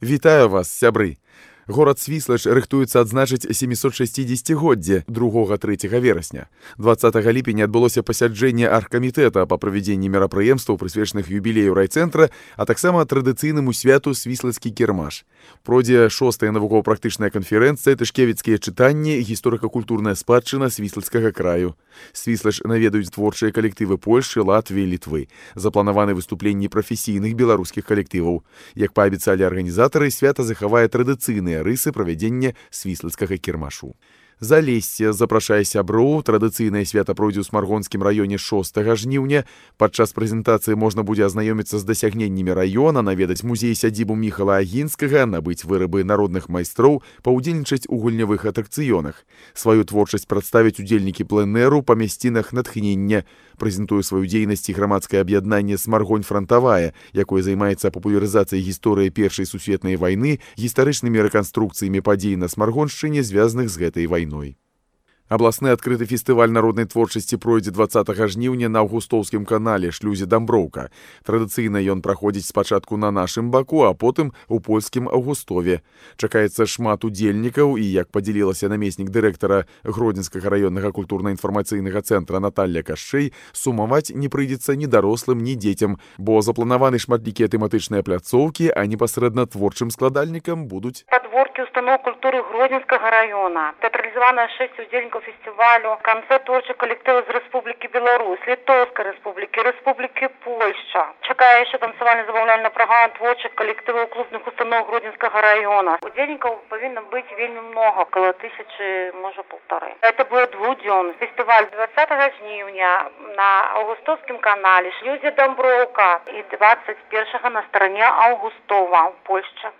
Вітаю вас, сябры! Горад Свіслач рыхтуецца адзначыць 760-годдзе 2-3 верасня. 20 ліпеня адбылося пасяджэнне аргкамітэта па правядзенні мерапрыемстваў, прысвечаных юбілею райцэнтра, а таксама традыцыйнаму святу свіслацкі кірмаш. Пройдзе 6-я навукова-практычная канферэнцыя «Тышкевіцкія чытанні. Гісторыка-культурная спадчына свіслацкага краю». Свіслач наведаюць творчыя калектывы Польшы, Латвіі, Літвы. Запланаваны выступленні прафесійных беларускіх калектываў. Як паабяцалі арганізатары, свята захавае традыцыйныя рысы правядзення свіслацкага кірмашу. Залессе запрашае сяброў. Традыцыйнае свята пройдзе ў Смаргонскім раёне 6 жніўня. Падчас прэзентацыі можна будзе азнаёміцца з дасягненнямі раёна, наведаць музей-сядзібу Міхала Агінскага, набыць вырабы народных майстроў, паўдзельнічаць у гульнявых атракцыёнах. Сваю творчасць прадставяць удзельнікі пленэру па мясцінах натхнення. Прэзентуе сваю дзейнасць і грамадскае аб'яднанне «Смаргонь франтавая», якое займаецца папулярызацыяй гісторыі Першай сусветнай вайны, гістарычнымі рэканструкцыямі падзей на Смаргоншчыне, звязаных з гэтай вайной. Абласны адкрыты фестываль народнай творчасці пройдзе 20 жніўня на Аўгустоўскім канале шлюзе Дамброўка. Традыцыйна ён праходзіць спачатку на нашым баку, а потым у польскім Аўгустове. Чакаецца шмат удзельнікаў і, як падзялілася намеснік дырэктара Гродзенскага раённага культурна-інфармацыйнага цэнтра Наталля Кашчэй, сумаваць не прыйдзецца ні дарослым, ні дзецям, бо запланаваны шматлікія тэматычныя пляцоўкі, а непасрэдна творчым складальнікам будуць падворкі устаноў культуры Гродзенскага раёна, тэатралізаванае 6 удзельнікаў фестивалю, канцэрт творчых калектываў з Рэспублікі Беларусь, Літоўскай Рэспублікі, Рэспублікі Польшча. Чакае яшчэ танцавальна-забаўляльная праграма творчых калектываў клубных устаноў Гродзенскага раёна. Удзельнікаў павінна быць вельмі много, около 1000, можа, 1,5. Это будет двухдзённы фестиваль 20 жніўня на Аўгустоўскім канале шлюзе Дамброўка і 21 на старане Аўгустова, Польшча.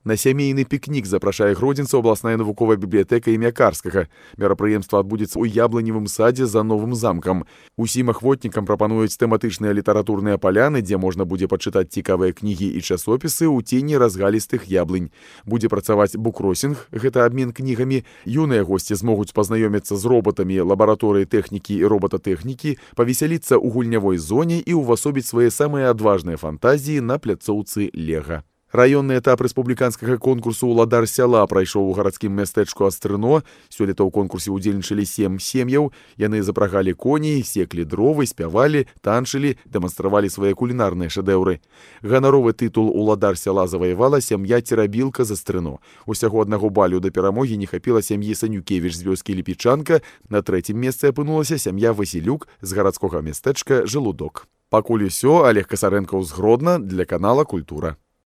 На сямейны пікнік запрашае гродзенцаў абласная навуковая бібліятэка імя Карскага. Мерапрыемства адбудзецца ў яблыневым садзе за новым замкам. Усім ахвотнікам прапануюць тэматычныя літаратурныя паляны, дзе можна будзе пачытаць цікавыя кнігі і часопісы ў цені разгалістых яблынь. Будзе працаваць букросінг, гэта абмен кнігамі. Юныя госці змогуць пазнаёміцца з робатамі лабараторыі тэхнікі і робататэхнікі, павесяліцца ў гульнявой зоне і ўвасобіць свае самыя адважныя фантазіі на пляцоўцы Лега. Раённы этап рэспубліканскага конкурсу «Уладар сяла» прайшоў у гарадскім мястэчку Астрыно. Сёлета ў конкурсе ўдзельнічалі 7 сем'яў. Яны запрагалі коней, секлі дровы, спявалі, танчылі, дэманстравалі свае кулінарныя шэдэўры. Ганаровы тытул «Уладар сяла» заваявала сям'я Церабілка з Астрыно. Усяго аднаго балю да перамогі не хапіла сям'і Санюкевіч з вёскі Ліпічанка. На трэцім месцы апынулася сям'я Васілюк з гарадскога мястэчка Жалудок. Пакуль усё, Олег Касарэнкаў з Гродна для канала «Культура».